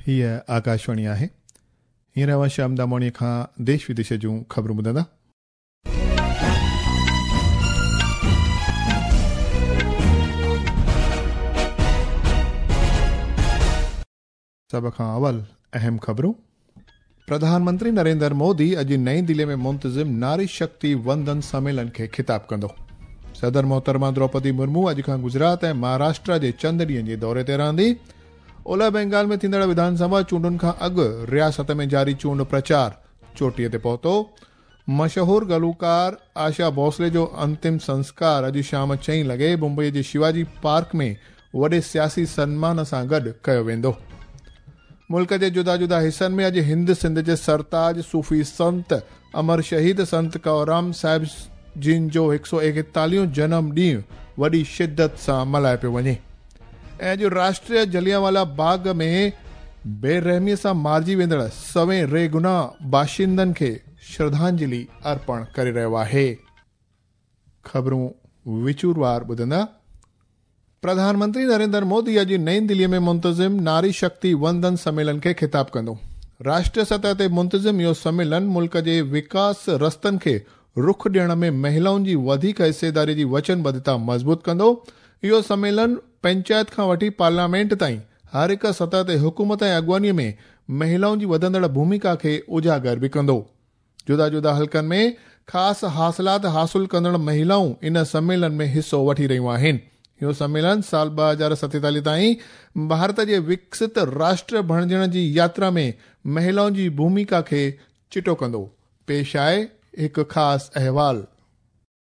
हीअ आकाशवाणी आहे। हींअर अव्हां श्याम दामोणीअ खां देश विदेश जूं ख़बरूं ॿुधंदा। सभ खां अवल अहम ख़बरूं। प्रधानमंत्री नरेंद्र मोदी अॼु नई दिल्ली में मुंतज़िम नारी शक्ति वंदन सम्मेलन खे ख़िताब कंदो। सदर मोहतरमा द्रौपदी मुर्मू अॼु खां गुजरात ऐं महाराष्ट्र जे चंद ॾींहनि जे दौरे ते रहंदी। ओलह बंगाल में थींदड़ विधानसभा चूंडुनि खां अॻु रियासत में जारी चूंड प्रचार चोटीअ ते पहुतो। मशहूर गुलूकार आशा भोसले जो अंतिम संस्कार अॼु शाम 4 लॻे मुंबईअ जे शिवाजी पार्क में वॾे सियासी सन्मान सां गॾु कयो वेंदो। मुल्क जे जुदा जुदा हिसनि में अॼु हिंद सिंध जे सरताज सूफ़ी संत अमर शहीद संत कंवरराम साहिब जिन जो 141 जनम ॾींहुं वॾी शिदत सां मल्हायो पियो वञे। ऐं अॼु राष्ट्रीय जलियांवाला बाग़ में बेरहमीअ सां मारिजी वेंदड़ सवें रेगुनाह बाशिंदनि खे श्रद्धांजलि अर्पण करे रहियो आहे। ख़बरूं विचूरवार ॿुधंदा। प्रधानमंत्री नरेंद्र मोदी अॼु नई दिल्लीअ में मुंतज़िम नारी शक्ति वंदन सम्मेलन खे ख़िताब कंदो। राष्ट्रीय सतह ते मुंतज़िम इहो सम्मेलन मुल्क जे विकास रस्तनि खे रुख ॾियण में महिलाउनि जी वधीक हिस्सेदारी जी वचनबद्धता मज़बूत कंदो। इहो सम्मेलन पंचायत खां वठी पार्लियामेंट ताईं हर हिकु सतह ते हुकूमत ऐं अॻुवानीअ में महिलाउनि जी वधंदड़ भूमिका खे उजागर बि कंदो। जुदा जुदा हल्कनि में ख़ासि हासिलात हासिल कंदड़ महिलाऊं इन सम्मेलन में हिसो वठी रहियूं आहिनि। इहो सम्मेलन साल 2047 ताईं भारत जे विकसित राष्ट्र बणिजण जी यात्रा में महिलाउनि जी भूमिका खे चिटो कंदो। पेश आहे हिकु ख़ासि अहवाल।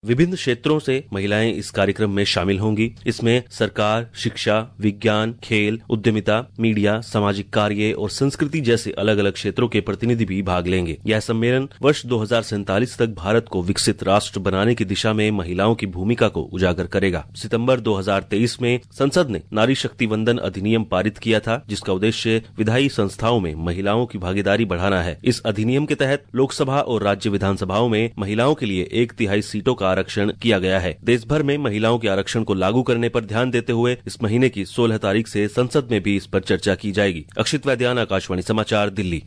विभिन्न क्षेत्रों से महिलाएं इस कार्यक्रम में शामिल होंगी। इसमें सरकार, शिक्षा, विज्ञान, खेल, उद्यमिता, मीडिया, सामाजिक कार्य और संस्कृति जैसे अलग अलग क्षेत्रों के प्रतिनिधि भी भाग लेंगे। यह सम्मेलन वर्ष 2047 तक भारत को विकसित राष्ट्र बनाने की दिशा में महिलाओं की भूमिका को उजागर करेगा। सितम्बर 2023 में संसद ने नारी शक्ति वंदन अधिनियम पारित किया था, जिसका उद्देश्य विधायी संस्थाओं में महिलाओं की भागीदारी बढ़ाना है। इस अधिनियम के तहत लोकसभा और राज्य विधानसभाओं में महिलाओं के लिए 1/3 सीटों का आरक्षण किया गया है। देश भर में महिलाओं के आरक्षण को लागू करने पर ध्यान देते हुए इस महीने की 16 तारीख से संसद में भी इस पर चर्चा की जाएगी। अक्षित वैद्यान, आकाशवाणी समाचार, दिल्ली।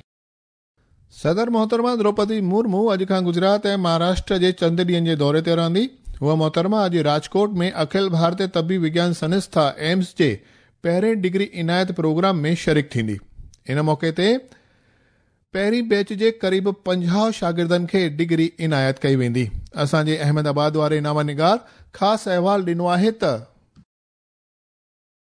सदर मोहतरमा द्रौपदी मुर्मू अॼु खां गुजरात ऐं महाराष्ट्र जे चंद ॾींहनि जे दौरे ते रहंदी। हूअ मोहतरमा अॼु राजकोट में अखिल भारतीय तबी विज्ञान संस्था एम्स जे पहिरें डिग्री इनायत प्रोग्राम में शरीक थींदी। इन मौक़े ते पहिरीं बैच जे क़रीब 50 शागिर्दनि खे डिग्री इनायत कई वेंदी। असांजे अहमदाबाद वारे नामा निगार ख़ासि अहवाल ॾिनो आहे त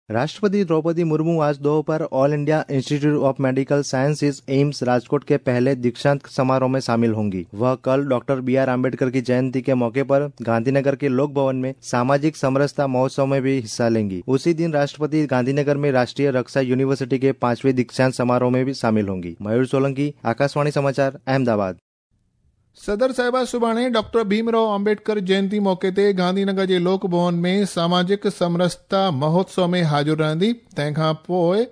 राष्ट्रपति द्रौपदी मुर्मू आज दोपहर All India Institute of Medical Sciences AIIMS Rajkot के पहले दीक्षांत समारोह में शामिल होंगी। वह कल डॉक्टर BR Ambedkar की जयंती के मौके पर गांधीनगर के लोक भवन में सामाजिक समरसता महोत्सव में भी हिस्सा लेंगी। उसी दिन राष्ट्रपति गांधीनगर में राष्ट्रीय रक्षा यूनिवर्सिटी के 5वें दीक्षांत समारोह में भी शामिल होंगी। मयूर सोलंकी, आकाशवाणी समाचार, अहमदाबाद। सदर साहिबा सुभाणे डॉक्टर भीमराव आंबेडकर जयंती मौक़े ते गांधीनगर जे लोक भवन में सामाजिक समरसता महोत्सव में हाज़िर रहंदी। तंहिंखां पोइ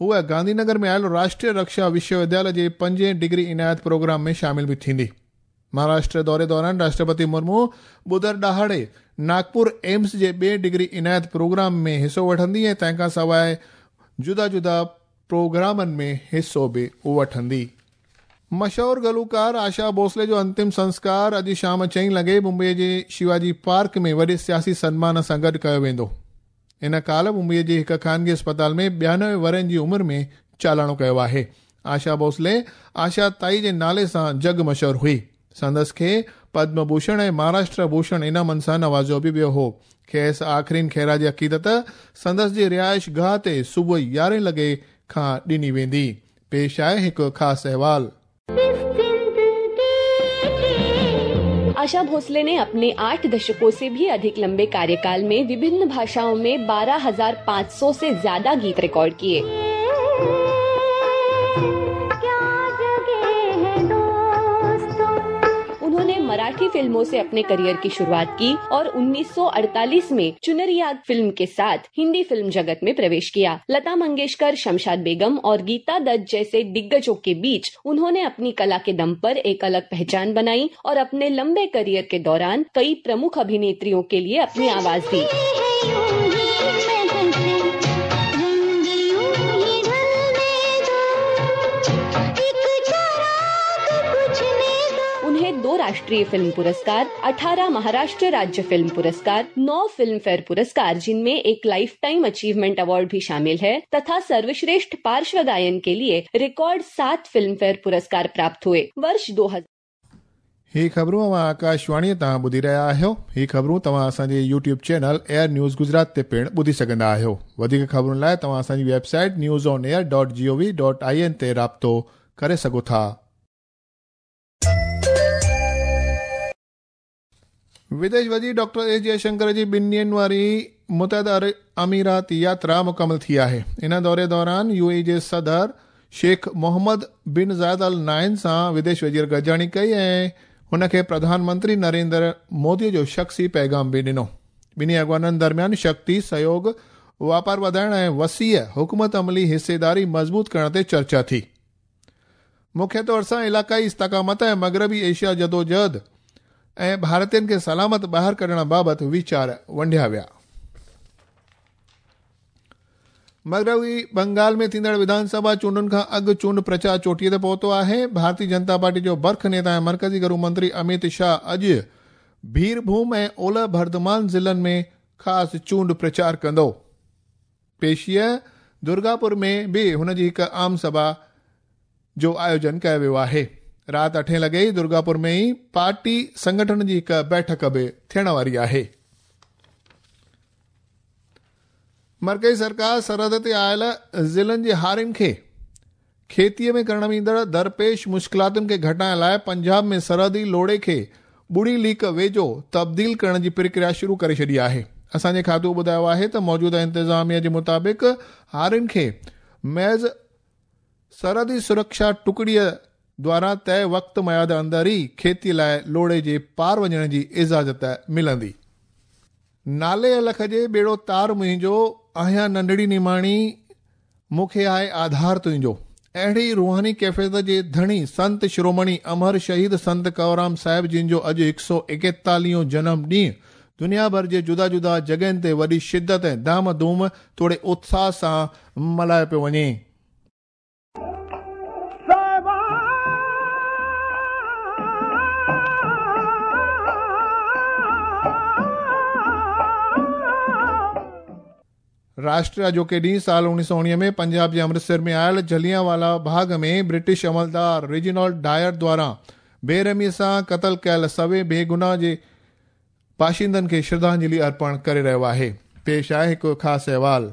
हूअ गांधीनगर में आयल राष्ट्रीय रक्षा विश्वविद्यालय जे 5वें डिग्री इनायत प्रोग्राम में शामिल बि थींदी। महाराष्ट्र दौरे दौरान राष्ट्रपति मुर्मू ॿुधर ॾहाड़े नागपुर एम्स जे ॿिए डिग्री इनायत प्रोग्राम में हिसो वठंदी ऐं तंहिंखां सवाइ जुदा जुदा प्रोग्रामनि में हिसो बि वठंदी। मशहूर गुलूकार आशा भोसले जो अंतिम संस्कार अॼु शाम 4 लॻे मुंबईअ जे शिवाजी पार्क में वॾे सियासी सन्मान सां गॾु कयो वेंदो। इन काल मुंबईअ जे हिकु ख़ानगी अस्पताल में 92 वरनि जी उमिरि में चालाणो कयो आहे। आशा भोसले आशा ताई जे नाले सां जग मशहूर हुई। संदसि खे पद्म भूषण ऐं महाराष्ट्र भूषण इनामनि सां नवाज़ियो बि वियो हो। खेसि आख़िरीन ख़ैराज अक़ीदत संदसि जी रिहाइश गाह ते सुबुह 11 लॻे खां ॾिनी वेंदी। पेश आहे हिकु ख़ासि अहवाल। आशा भोसले ने अपने 8 दशकों से भी अधिक लंबे कार्यकाल में विभिन्न भाषाओं में 12,500 से ज्यादा गीत रिकॉर्ड किए। उन्होंने मराठी फिल्मों से अपने करियर की शुरुआत की और 1948 में चुनरिया फिल्म के साथ हिंदी फिल्म जगत में प्रवेश किया। लता मंगेशकर, शमशाद बेगम और गीता दत्त जैसे दिग्गजों के बीच उन्होंने अपनी कला के दम पर एक अलग पहचान बनाई और अपने लंबे करियर के दौरान कई प्रमुख अभिनेत्रियों के लिए अपनी आवाज दी। राष्ट्रीय फिल्म पुरस्कार, 18 महाराष्ट्र राज्य फिल्म पुरस्कार, 9 फिल्म फेयर पुरस्कार जिनमें एक लाइफ टाइम अचीवमेंट अवार्ड भी शामिल है तथा सर्वश्रेष्ठ पार्श्व गायन के लिए रिकॉर्ड 7 फिल्म फेयर पुरस्कार प्राप्त हुए। वर्ष 2000 ही ख़बरूं अव्हां आकाशवाणीअ तां ॿुधी रहिया आहियो। ही ख़बरूं तव्हां असांजे YouTube channel Air News Gujarat ते पिणु ॿुधी सघंदा आहियो। वधीक ख़बरुनि लाइ तव्हां असांजी वेबसाइट newsonair.gov.in ते राब्तो करे सघो था। विदेश वज़ीर डॉक्टर एस जयशंकर जी ॿिनि ॾींहनि वारी मुतहदा अरब अमीरात यात्रा मुकमल थी आहे। इन दौरे दौरान यूएई जे सदर शेख मोहम्मद बिन ज़ायद अल नाइन सां विदेश वज़ीर गॾिजाणी कई ऐं हुनखे प्रधानमंत्री नरेंद्र मोदी जो शख़्सी पैगाम बि ॾिनो। ॿिन्ही अॻवाननि दरमियान शक्ति, सहयोग, वापार वधाइण ऐं वसीअ हुकूमत अमली हिस्सेदारी मज़बूत करण ते चर्चा थी। मुख्य तौर सां इलाक़ाई इस्तिक़ामत ऐं मग़रबी एशिया जदोजहद ऐं भारतीयनि खे सलामत ॿाहिरि कढण बाबति वीचार वंडिया विया। मग़रबी बंगाल में थींदड़ विधानसभा चूंडुनि खां अॻु चूंड प्रचार चोटीअ ते पहुतो आहे। भारतीय जनता पार्टी जो बर्ख नेता ऐं मर्कज़ी गृह मंत्री अमित शाह अॼु बीरभूम ऐं ओलह बर्धमान ज़िलनि में ख़ासि चूंड प्रचार कंदो। पेशीअ दुर्गापुर में बि हुन जी हिकु आम सभा जो आयोजन कयो वियो आहे। राति 8 लॻे ई दुर्गापुर में ई पार्टी संगठन जी हिकु बैठक बि थियण वारी आहे। मर्कज़ी सरकार सरहद ते आयल ज़िलनि जे हारियुनि खे खेतीअ में करण ईंदड़ दरपेश मुश्किलातुनि खे घटाइण लाइ पंजाब में सरहदी लोड़े खे ॿुड़ी लीक वेझो तब्दील करण जी प्रक्रिया शुरू करे छॾी आहे। असांजे खातो ॿुधायो आहे त मौजूदा इंतिज़ामिया जे मुताबिक़ हारियुनि खे महज़ सरहदी सुरक्षा टुकड़ीअ द्वारा तय वक़्त मयाद अंदरि ई खेती लाइ लोड़े जे पार वञण जी इजाज़त मिलंदी। नाले अलख जे ॿेड़ो तार मुंहिंजो, आहियां नंढड़ी निमाणी, मूंखे आहे आधार तुंहिंजो। अहिड़ी रूहानी कैफ़ियत जे धणी संत शिरोमणि अमर शहीद संत कंवरराम साहिब जिन जो अॼु 141 जनम ॾींहुं दुनिया भर जे जुदा जुदा जॻहियुनि ते वॾी शिदत ऐं धाम धूम तोड़े उत्साह सां मल्हायो पियो वञे। राष्ट्र अॼोके ॾींहुं साल 1919 में पंजाब जे अमृतसर में आयल जलियांवाला बाग़ में ब्रिटिश अमलदार रेजिनाल्ड डायर द्वारा बेरहमीअ सां क़तल कयल सवे बेगुनाह जे बाशिंदनि खे श्रद्धांजलि अर्पण करे रहियो आहे। पेश आहे हिकु ख़ासि अहवाल।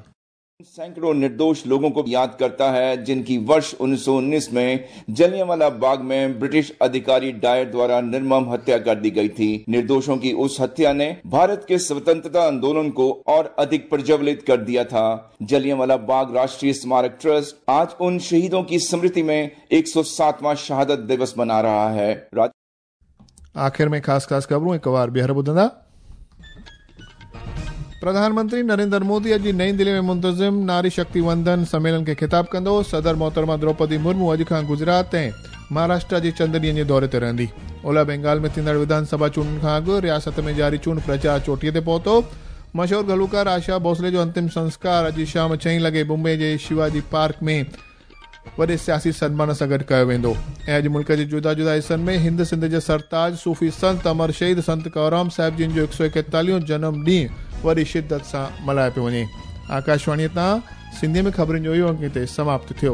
सैकड़ों निर्दोष लोगों को याद करता है जिनकी वर्ष 1919 में जलियांवाला बाग में ब्रिटिश अधिकारी डायर द्वारा निर्मम हत्या कर दी गई थी। निर्दोषों की उस हत्या ने भारत के स्वतंत्रता आंदोलन को और अधिक प्रज्वलित कर दिया था। जलियांवाला बाग राष्ट्रीय स्मारक ट्रस्ट आज उन शहीदों की स्मृति में 107वां शहादत दिवस मना रहा है। आखिर में खास खास खबरूं एक बार ॿीहर ॿुधंदा। प्रधानमंत्री नरेंद्र मोदी अॼु नई दिल्ली में मुंतज़िम नारी शक्ति वंदन सम्मेलन खे ख़िताब कंदो। सदर मोहतरमा द्रौपदी मुर्मू अॼु खां गुजरात ऐं महाराष्ट्र जे चंद ॾींहनि जे दौरे ते रहंदी। ओलह बंगाल में थींदड़ विधानसभा चूंडुनि खां अॻु रियासत में जारी चूंड प्रचार चोटीअ ते पहुतो। मशहूर गुलूकार आशा भोसले जो अंतिम संस्कार अॼु शाम 6 लॻे मुंबई जे शिवाजी पार्क में वॾे सियासी सनमान सां गॾु कयो वेंदो। ऐं अॼु मुल्क जे जुदा जुदा हिसनि में हिंद सिंध जे सरताज सूफ़ी संत अमर शहीद संत कंवरराम साहिब जिन जो 141 जनम ॾींहुं वॾी शिदत सां मल्हायो पियो वञे। आकाशवाणीअ तां सिंधीअ में ख़बरुनि जो इहो अंक हिते समाप्त थियो।